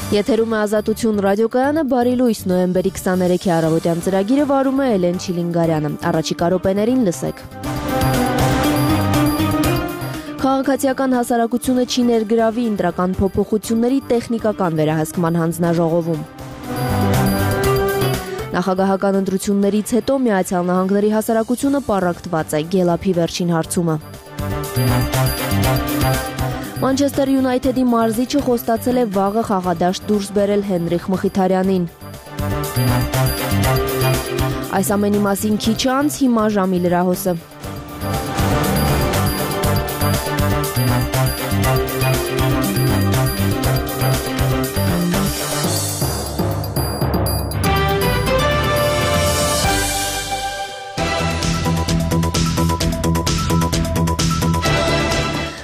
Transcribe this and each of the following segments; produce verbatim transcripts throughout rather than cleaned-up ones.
Եթերում է Ազատություն ռադիոկայանը, բարի լույս, նոյեմբերի քսաներեքի առավոտյան ծրագիրը վարում է Էլեն Չիլինգարյանը, առաջիկա րոպեներին լսեք։ Քաղաքացիական հասարակությունը չի ներգրավի ընտրական փոփոխությունների տեխնիկական վերահսկման հանձնաժողովում։ Նախագահական ընտրություններից հետո Միացյալ Նահանգների հասարակությունը պառակտված է Գելափի վերջին հարցումը։ Մանչեսթեր Յունայթեդի մարզիչը խոստացել է վաղը խաղադաշտ դուրս բերել Հենրիխ Մխիթարյանին։ Այս ամենի մասին քիչ անց հիմա ժամի լրահոսը։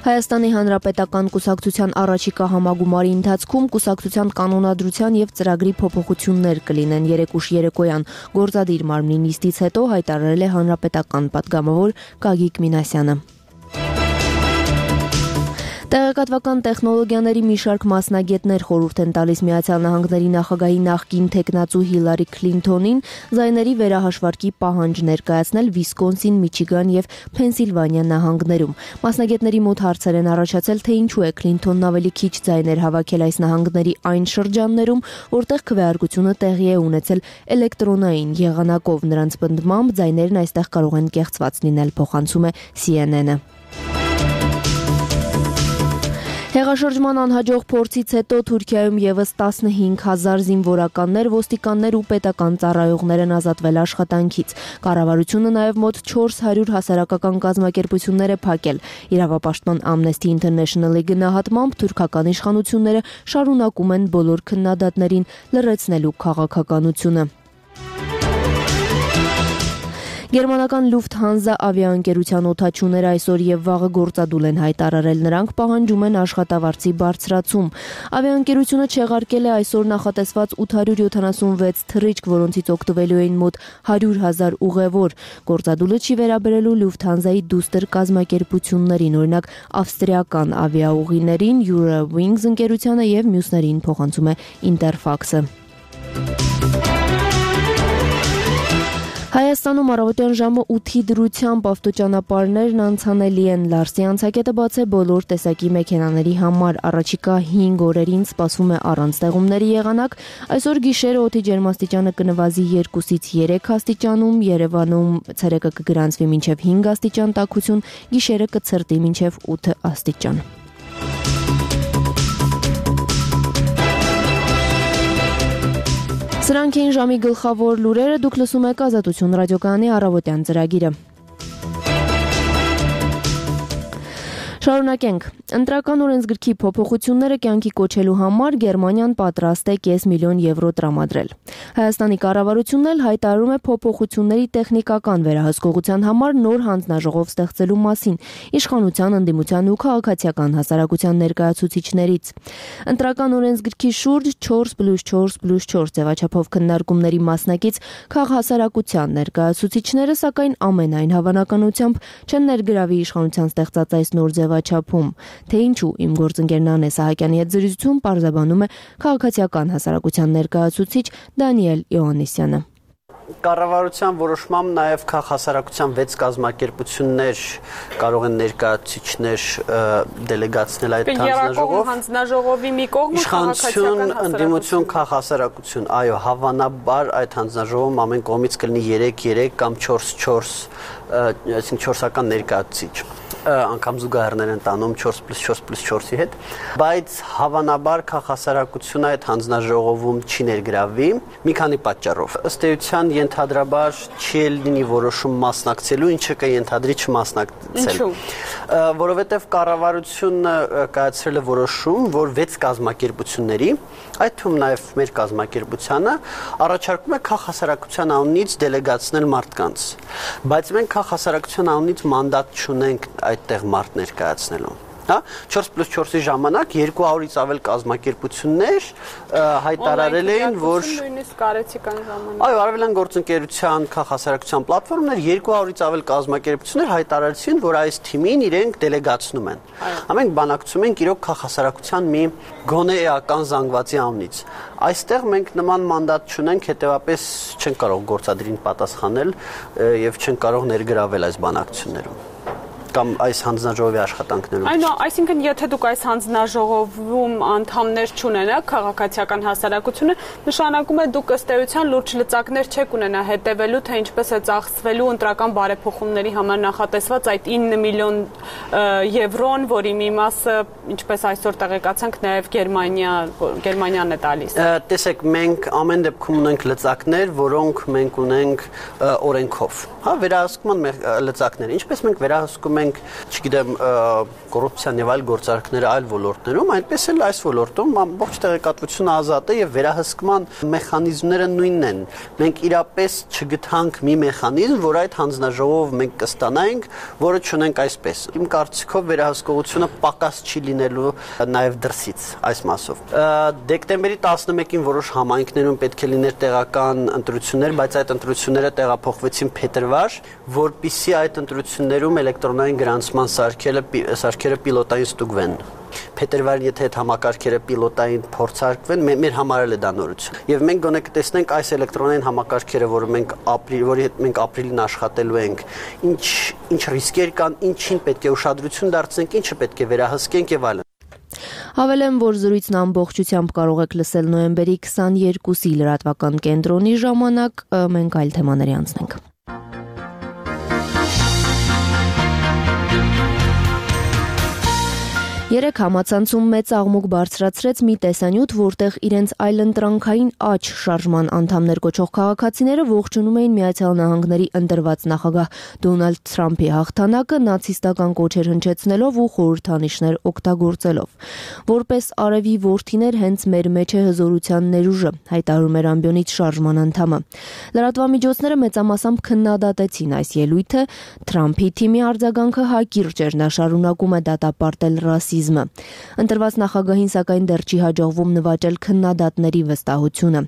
Հայաստանի Հանրապետական կուսակցության առաջիկա համագումարի ընթացքում կուսակցության կանոնադրության եւ ծրագրի փոփոխություններ կլինեն երեկուշ երեկոյան, գործադիր մարմնի նիստից հետո հայտարարել է հանրապետական պատգամավոր Գագիկ Մինասյանը։ Տեղեկատվական տեխնոլոգիաների մի շարք մասնագետներ խորհուրդ են տալիս Միացյալ Նահանգների նախագահի նախկին թեկնածու Հիլարի Քլինթոնին զայների վերահաշվարկի պահանջ ներկայացնել Վիսկոնսին, Միչիգան եւ Փենսիլվանիա նահանգներում։ Մասնագետների մոտ հարցեր են առաջացել, թե ինչու է Քլինթոնն ավելի քիչ զայներ հավաքել այս նահանգների այն շրջաններում, որտեղ քվեարկությունը տեղի է ունեցել էլեկտրոնային եղանակով։ Նրանց պնդմամբ զայներն այստեղ կարող են կեղծված լինել, փոխանցում է C N N-ը։ Հեղաշրջման անհաջող փորձից հետո Թուրքիայում եւս տասնհինգ հազար զինվորականներ, ոստիկաններ ու պետական ծառայողներ են ազատվել աշխատանքից։ Կառավարությունը նաեւ մոտ չորս հարյուր հասարակական կազմակերպություններ է փակել։ Իրավապաշտպան Amnesty International-ի գնահատմամբ թուրքական իշխանությունները շարունակում են բոլոր քննադատներին լրացնելու քաղաքականությունը։ Գերմանական Lufthansa ավիաընկերության օդաչուները այսօր եւ վաղը գործադուլ են հայտարարել, նրանք պահանջում են աշխատավարձի բարձրացում։ Ավիաընկերությունը չեղարկել է այսօր նախատեսված ութ հարյուր յոթանասունվեց թռիչք, որոնցից օգտվելու էին մոտ հարյուր հազար ուղևոր։ Գործադուլը չի վերաբերելու Lufthansa-ի դուստր կազմակերպություններին, օրինակ ավստրիական ավիաուղիներին, Eurowings ընկերությանը եւ մյուսներին, փոխանցում է Interfax-ը։ Հայաստանում առավոտյան ժամը ութի դրությամբ ավտոճանապարհներն անցանելի են։ Լարսի անցակետը բաց է բոլոր տեսակի մեքենաների համար։ Առաջիկա հինգ օրերին սպասվում է առանց տեղումների եղանակ։ Այսօր գիշերը օդի ջերմաստիճանը կնվազի երկուսից երեք աստիճանում, Երևանում ցերեկը կգրանցվի մինչև հինգ աստիճան տաքություն, գիշերը կցրտի մինչև ութ աստիճան։ Սրանք էին ժամի գլխավոր լուրերը, դուք լսում եք Ազատություն ռադիոկայանի առավոտյան ծրագիրը։ Շարունակենք։ Ընտրական օրենսգրքի փոփոխությունները կյանքի կոչելու համար Գերմանիան պատրաստ է կես միլիոն եվրո տրամադրել։ Հայաստանի կառավարությունն էլ հայտարարում է փոփոխությունների տեխնիկական վերահսկողության համար նոր հանձնաժողով ստեղծելու մասին իշխանության, ընդդիմության ու քաղաքացիական հասարակության ներկայացուցիչներից։ Ընտրական օրենսգրքի շուրջ չորս պլյուս չորս պլյուս չորս ձևաչափով քննարկումների մասնակից քաղաքասարակության ներկայացուցիչները, սակայն ամենայն հավանականությամբ չեն ներգրավի իշխանության ստեղծած այս նոր ձևաչափում։ Թե ինչու, իմ գործընկեր Նանե Սահակյանի հետ զրույցում պարզաբանում է քաղաքացիական հասարակության ներկայացուցիչ Դանիել Իոաննիսյանը։ Կառավարության որոշմամբ նաև քաղաքասարակության վեց կազմակերպություններ կարող են ներկայացուցիչներ դելեգացնել այդ հանձնաժողով։ Հանձնաժողովի մի կողմը քաղաքացիական ընդդիմություն քաղաքասարակություն, այո, հավանաբար այդ հանձնաժողովում ամեն կողմից կլինի երեք երեք կամ չորս չորս, այսինքն չորսական ներկայացուցիչ։ Անգամ զուգահեռներ են տանում չորս պլյուս չորս պլյուս չորսի հետ, բայց հավանաբար քաղաքասարակությունը այդ հանձնաժողովում չի ներգրավվի մի քանի պատճառով։ Ըստ էության ենթադրաբար չի լինի որոշում մասնակցելու, ինչը կենթադրի չմասնակցել։ Որովհետև կառավարությունը կայացրել է որոշում, որ վեց կազմակերպությունների, այդ թվում նաև մեր կազմակերպությանը, առաջարկում է քաղաքասարակության անունից դելեգացնել մարդկանց, բայց մենք քաղաքասարակության անունից մանդատ չունենք այդտեղ մարդ ներկայացնելու։ Հա չորս պլյուս չորսի ժամանակ երկու հարյուրից ավել կազմակերպություններ հայտարարել էին, որ նույնիսկ կարեցիկան ժամանակ։ Այո, Արևելյան գործընկերության քաղաքասարակության պլատֆորմներ երկու հարյուրից ավել կազմակերպություններ հայտարարեցին, որ այս թիմին իրենք դելեգացնում են։ Ամենք բանակցում ենք իրոք քաղաքասարակության մի գոնե էական զանգվածի անունից։ Այստեղ մենք նման մանդատ չունենք, հետեւապես չենք կարող գործադրին պատասխանել եւ չենք կարող ներգրավել այս բանակցություններում կամ այս հանձնաժողովի աշխատանքներում։ Այո, այսինքն եթե դուք այս հանձնաժողովում անդամներ չունենաք, քաղաքացիական հասարակությունը, նշանակում է դուք ըստ էության լուրջ լծակներ չեք ունենա հետևելու, թե ինչպես է ծախսվելու ընտրական բարեփոխումների համար նախատեսված այդ ինը միլիոն եվրոն, որի մի մասը, ինչպես այսօր տեղեկացանք, նաև Գերմանիա, Գերմանիան է տալիս։ Տեսեք, մենք ամեն դեպքում ունենք լծակներ, որոնք մենք ունենք օրենքով։ Հա, վերահսկման լծակներ, ինչպես մենք վերահսկում ենք, չգիտեմ, կոռուպցիան եւ այլ գործարքները այլ ոլորտներում, այնպես էլ այս ոլորտում ամբողջ տեղեկատվությունը ազատ է եւ վերահսկման մեխանիզմները նույնն են։ Մենք իրապես չգտանք մի մեխանիզմ, որ այդ հանձնաժողով մենք կստանայինք, որը չունենք այսպես։ Իմ կարծիքով վերահսկողությունը պակաս չի լինելու նաեւ դրսից այս մասով։ Դեկտեմբերի տասնմեկին որոշ համայնքներում պետք է լիներ տեղական ընտրություններ, բայց այդ ընտրությունները տեղափոխվեցին փետրվար, որպիսի այդ ընտրություններում էլեկտրոնային գրանցման սարքերը սարքերը պիլոտային ստուգվեն։ Փետրվարին եթե այդ համակարգերը պիլոտային փորձարկվեն, մեր համար էլ է դա նորություն։ Եվ մենք գոնե կտեսնենք այս էլեկտրոնային համակարգերը, որը մենք ապրիլ, որի հետ մենք ապրիլին աշխատելու ենք, ինչ ինչ ռիսկեր կան, ինչին պետք է ուշադրություն դարձնենք, ինչը պետք է վերահսկենք եւ այլն։ Հավելեմ, որ զրույցն ամբողջությամբ կարող եք լսել նոյեմբերի քսաներկուսի լրատվական կենտրոնի ժամանակ, մենք այլ թեմաների անցնենք։ Երեք համացանցում մեծ աղմուկ բարձրացրեց մի տեսանյութ, որտեղ իրենց այլընտրանքային աջ շարժման անդամներ կոչող քաղաքացիները ողջունում էին Միացյալ Նահանգների ընտրված նախագահ Դոնալդ Թրամփի հաղթանակը նացիստական կոչեր հնչեցնելով ու խորհրդանիշներ օգտագործելով։ Որպես արևի որդիներ հենց մեր մեջ է հզորության ներուժը, հայտարարում էր ամբիոնից շարժման անդամը։ Լրատվամիջոցները մեծամասամբ քննադատեցին այս ելույթը, Թրամփի թիմի արձագանքը հակիրճ էր, նա շարունակում է դատապարտել ռասիզմը։ Ընտրված նախագահին սակայն դեռ չի հաջողվում նվաճել քննադատների վստահությունը։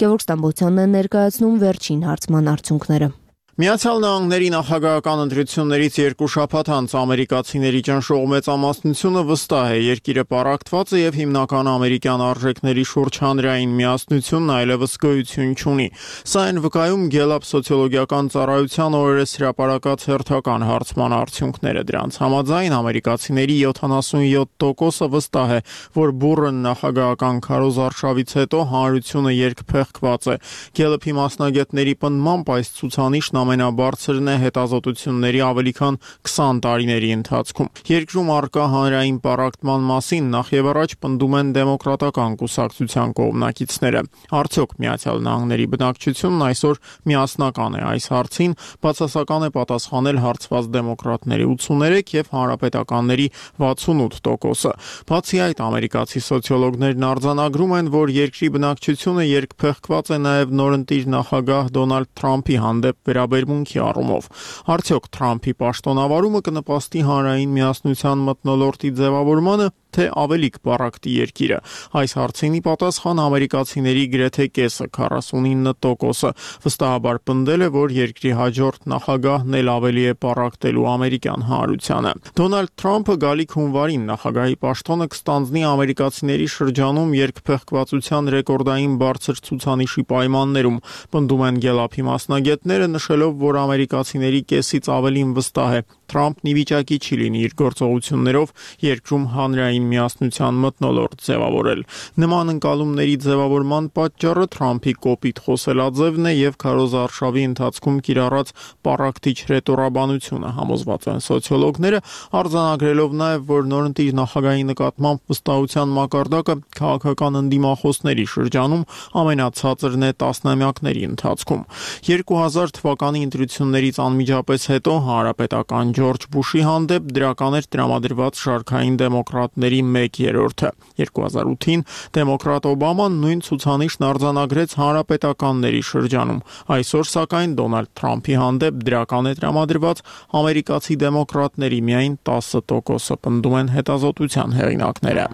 Գևորգ Ստամբոլցյանն է ներկայացնում վերջին հարցման արդյունքները։ Միացյալ Նահանգների նախագահական ընտրություններից երկու շաբաթ անց ամերիկացիների ճնշող մեծամասնությունը վստահ է երկիրը պառակտված է եւ հիմնական ամերիկյան արժեքների շուրջ հանրային միասնությունն այլևս գոյություն չունի։ Սա այն վկայում Gallup սոցիոլոգիական ծառայության օրերս հրապարակած հերթական հարցման արդյունքները դրանց համաձայն ամերիկացիների յոթանասունյոթ տոկոսը վստահ է, որ բուռն նախագահական քարոզարշավից հետո հանրությունը երկփեղկված է։ Gallup-ի մասնագետների պնդմամբ այս ցուցանիշն ամենաբարձրն է հետազոտությունների ավելի քան քսան տարիների ընթացքում։ Երկրում առկա հանրային պառակտման մասին նախ եւ առաջ պնդում են դեմոկրատական կուսակցության կողմնակիցները։ Արդյոք Միացյալ Նահանգների բնակչությունն այսօր միասնական է այս հարցին, բացասական է պատասխանել հարցված դեմոկրատների ութսուներեք եւ հանրապետականների վաթսունութ տոկոսը։ Բացի այդ, ամերիկացի սոցիոլոգներն արձանագրում են, որ երկրի բնակչությունը երկփեղկված է նաեւ նորընտիր նախագահ Դոնալդ Թրամփի հանդեպ վերաբերմունքի առումով։ Արդյոք Թրամփի պաշտոնավարումը կնպաստի հանրային միասնության մթնոլորտի ձևավորմանը, թե ավելի կպառակտի երկիրը։ Այս հարցինի պատասխան ամերիկացիների գրեթե կեսը քառասունինը տոկոսը վստահաբար պնդել է, որ երկրի հաջորդ նախագահն էլ ավելի է պառակտելու ամերիկյան հանրությանը։ Դոնալդ Թրամփը գալիք հունվարին նախագահի պաշտոնը կստանձնի ամերիկացիների շրջանում երկփեղկվածության ռեկորդային բարձր ցուցանիշի պայմաններում, պնդում են Gallup-ի մասնագետները, նշելով, որ ամերիկացիների կեսից ավելին վստահ է Թրամփն ի վիճակի չի լինի իր գործողություններով երկրում հանրային միասնության մթնոլորտ ձևավորել։ Նման ընկալումների ձևավորման պատճառը Թրամփի կոպիտ խոսելաձևն է եւ քարոզարշավի ընթացքում կիրառած պառակտիչ ռետորաբանությունը, համոզված են սոցիոլոգները, արձանագրելով նաեւ, որ նորընտիր նախագահի նկատմամբ վստահության մակարդակը քաղաքական ընդդիմախոսների շրջանում ամենացածրն է տասնամյակների ընթացքում։ երկու հազար թվականի ընտրություններից անմիջապես հետո հանրապետական Ջորջ Բուշի հանդեպ դրական էր տրամադրված շարքային դեմոկրատների ցուցանիշների մեկ երրորդը։ երկու հազար ութին դեմոկրատ Օբաման նույն ցուցանիշն արձանագրեց հանրապետականների շրջանում։ Այսօր սակայն Դոնալդ Թրամփի հանդեպ դրական է տրամադրված ամերիկացի դեմոկրատների միայն տասը տոկոսը, պնդում են հետազոտության հեղինակները։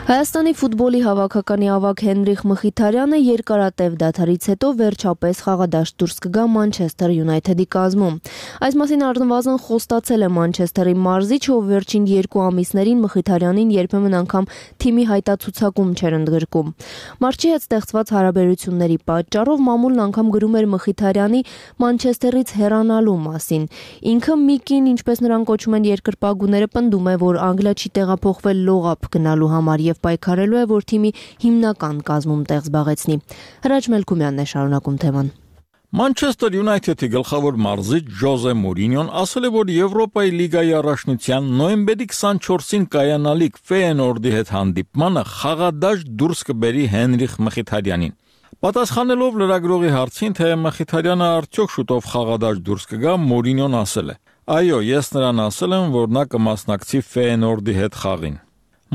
Հայաստանի ֆուտբոլի հավաքականի ավագ Հենրիխ Մխիթարյանը երկարատև դադարից հետո վերջապես խաղադաշտ դուրս կգա Մանչեսթեր Յունայթեդի կազմում։ Այս մասին առնվազն խոստացել է Մանչեսթերի մարզիչ, ով վերջին երկու ամիսներին Մխիթարյանին երբեմն անգամ թիմի հայտացուցակում չէր ընդգրկում։ Մարզչի հետ ստեղծված հարաբերությունների պատճառով մամուլն անգամ գրում էր Մխիթարյանի Մանչեսթերից հեռանալու մասին։ Ինքը Միկին, ինչպես նրան կոչում են երկրպագուները, պնդում է, որ Անգլիա չի տեղափոխվել լողափ գնալու համար եւ պայքարելու է, որ թիմի հիմնական կազմում տեղ զբաղեցնի։ Հրաչ Մելքումյանն է շարունակում թեման։ Մանչեսթեր Յունայթեդի գլխավոր մարզիչ Ժոզե Մուրինյոն ասել է, որ Եվրոպայի լիգայի առաջնության նոյեմբերի քսանչորսին կայանալիք Ֆեյենորդի հետ հանդիպմանը խաղադաշտ դուրս կբերի Հենրիխ Մխիթարյանին։ Պատասխանելով լրագրողի հարցին, թե Մխիթարյանը արդյոք շուտով խաղադաշտ դուրս կգա, Մուրինյոն ասել է. «Այո, ես նրան ասել եմ, որ նա կմասնակցի Ֆեյենորդի հետ խաղին»։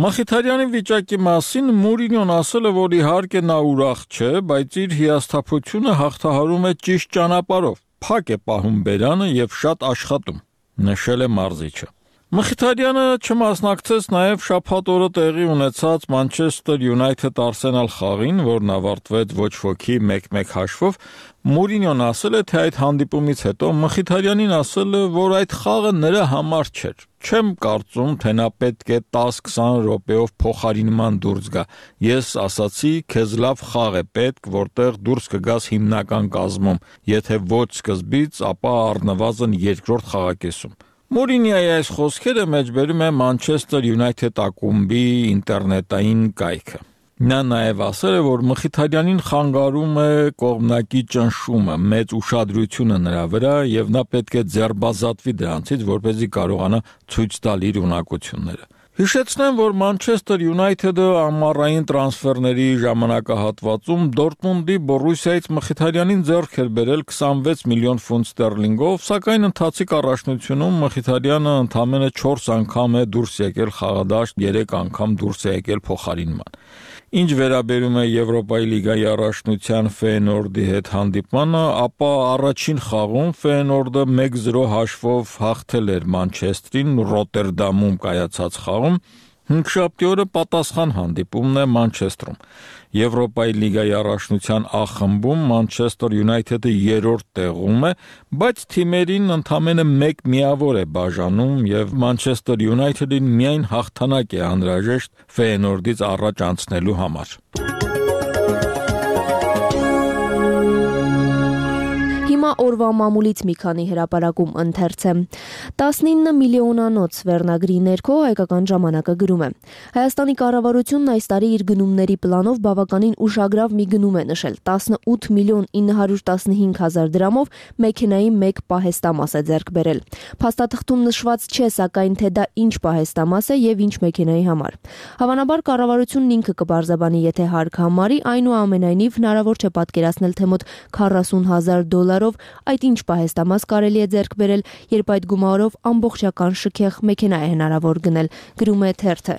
Մխիթարյանի վիճակի մասին Մուրինյոն ասել է, որ իհարկե նա ուրախ չէ, բայց իր հիասթափությունը հաղթահարում է ճիշտ ճանապարհով, փակ է պահում բերանը եւ շատ աշխատում, նշել է մարզիչը։ Մխիթարյանը չմասնակցեց նաև շաբաթ օրը տեղի ունեցած Մանչեսթեր Յունայթեդ Արսենալ խաղին, որն ավարտվեց ոչ ոքի մեկ մեկ հաշվով։ Մուրինյոն ասել է, թե այդ հանդիպումից հետո Մխիթարյանին ասել է, որ այդ խաղը նրա համար չէր։ Չեմ կարծում, թե նա պետք է տասը-քսան րոպեով փոխարինման դուրս գա։ Ես ասացի, քեզ լավ խաղ է պետք, որտեղ դուրս կգաս հիմնական կազմում, եթե ոչ սկզբից, ապա առնվազն երկրորդ խաղակեսում։ Մուրինյոյի այս խոսքերը մեջբերում է Մանչեսթեր Յունայթեդ ակումբի ինտերնետային կայքը։ Նա նաև ասել է, որ Մխիթարյանին խանգարում է կողմնակի ճնշումը, մեծ ուշադրությունը նրա վրա եւ նա պետք է ձերբազատվի դրանցից, որպեսզի կարողանա ցույց տալ իր ունակությունները։ Հիշեցնեմ, որ Մանչեսթեր Յունայթեդը ամառային տրանսֆերների ժամանակահատվածում Դորտմունդի Բորուսիայից Մխիթարյանին ձեռք էր բերել քսանվեց միլիոն ֆունտ ստերլինգով, սակայն ընթացիկ առաջնությունում Մխիթարյանը ընդամենը չորս անգամ է դուրս եկել խաղադաշտ, երեք անգամ դուրս է եկել փոխարինման։ Ինչ վերաբերում է Եվրոպայի լիգայի առաջնության Ֆեյենորդի հետ հանդիպմանը, ապա առաջին խաղում Ֆեյենորդը մեկ զրո հաշվով հաղթել էր Մանչեստրին Ռոտերդամում կայացած խաղում, հինգշաբթի օրը պատասխան հանդիպումն է Մանչեստրում։ Եվրոպայի լիգայի առաջնության Ա խմբում Մանչեսթեր Յունայթեդը երրորդ տեղում է, բայց թիմերին ընդամենը մեկ միավոր է բաժանում եւ Մանչեսթեր Յունայթեդին միայն հաղթանակ է անհրաժեշտ Ֆեյենորդից առաջ անցնելու համար։ Հիմա օրվա մամուլից մի քանի հրապարակում ընթերց է։ տասնինը միլիոնանոց վերնագրի ներքո հայկական ժամանակը գրում է. Հայաստանի կառավարությունն այս տարի իր գնումների պլանով բավականին ուշագրավ մի գնում է նշել. տասնութ միլիոն ինը հարյուր տասնհինգ հազար դրամով մեքենայի մեկ պահեստամաս է ձեռք բերել։ Փաստաթղթում նշված չէ, սակայն թե դա ինչ պահեստամաս է եւ ինչ մեքենայի համար։ Հավանաբար կառավարությունն ինքը կբարձաբանի, եթե հարկ համարի, այնուամենայնիվ հնարավոր չէ պատկերացնել, թե մոտ քառասուն հազար դոլարով այդ ինչ պահեստամաս կարելի է ձեռք բերել, երբ այդ գումարով ամբողջական շքեղ մեքենա է հնարավոր գնել, գրում է թերթը։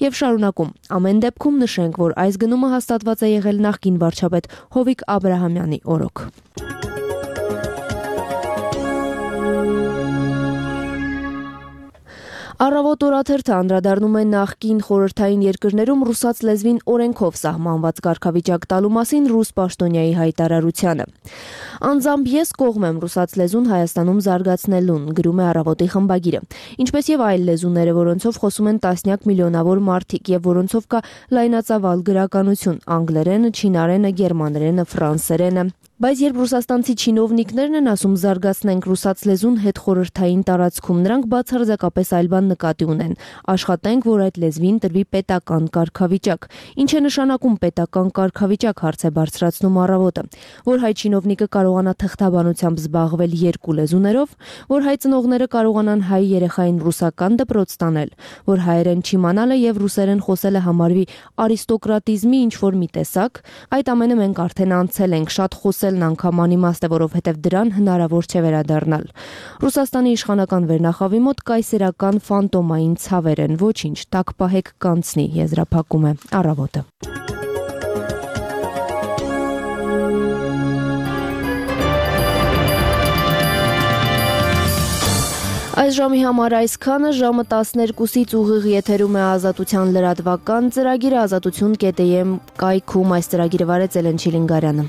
Եվ շարունակում. ամեն դեպքում նշենք, որ այս գնումը հաստատված է եղել նախկին վարչապետ Հովիկ Աբրահամյանի օրոք։ Առավոտ օրաթերթը անդրադառնում է նախկին խորհրդային երկրներում ռուսաց լեզվին օրենքով սահմանված կարգավիճակ տալու մասին ռուս պաշտոնյայի հայտարարությանը։ Անձամբ ես կողմ եմ ռուսաց լեզուն Հայաստանում զարգացնելուն, գրում է Առավոտի խմբագիրը, ինչպես եւ այլ լեզուները, որոնցով խոսում են տասնյակ միլիոնավոր մարդիկ եւ որոնցով կա լայնածավալ գրականություն՝ անգլերենը, չինարենը, գերմաներենը, ֆրանսերենը։ Բայց երբ ռուսաստանցի չինովնիկներն են ասում զարգացնենք ռուսաց լեզուն հետխորհրդային տարածքում, նրանք բացարձակապես այլ բան նկատի ունեն։ Աշխատենք, որ այդ լեզվին տրվի պետական կարգավիճակ։ Ինչ է նշանակում պետական կարգավիճակ, հարց է բարձրացնում Առավոտը, որ հայ չինովնիկը կարողանա թղթաբանությամբ զբաղվել երկու լեզուներով, որ հայ ծնողները կարողանան հայ երեխային ռուսական դպրոց տանել, որ հայերեն չիմանալը եւ ռուսերեն խոսելը համարվի արիստոկրատիզմի ինչ-որ մի տեսակ, այդ ամենը մենք արդեն անցել ենք, շատ խոսել խոսելն անգամ անիմաստ է, որովհետև դրան հնարավոր չէ վերադառնալ։ Ռուսաստանի իշխանական վերնախավի մոտ կայսերական ֆանտոմային ցավեր են, ոչինչ, տակ պահեք կանցնի, եզրափակում է Առավոտը։ Այս ժամի համար այսքանը, ժամը տասներկուսից ուղիղ եթերում է Ազատության լրատվական ծրագիրը, ազատություն կետ էի էմ կայքում այս ծրագիրը վարեց Էլեն Չիլինգարյանը։